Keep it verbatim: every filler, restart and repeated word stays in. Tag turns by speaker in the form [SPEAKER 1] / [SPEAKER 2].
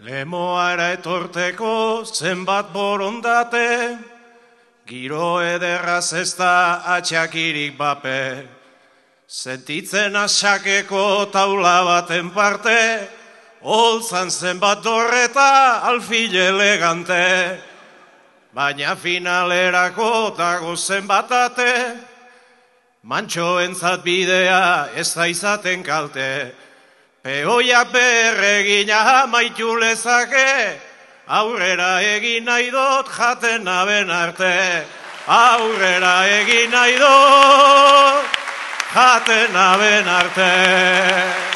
[SPEAKER 1] Lemoara etorteko zenbat borondate, giro ederraz ez da atxakirik bape. Sentitzen asakeko taula baten parte, holtzan zenbat dorreta alfil elegante. Baina finalerako dago zenbat ate, mantxoentzat bidea ez da izaten kalte. Peoiak berregina maitu lezake, aurrera egin nahi dut jaten naben arte. Aurrera egin nahi dut jaten naben arte.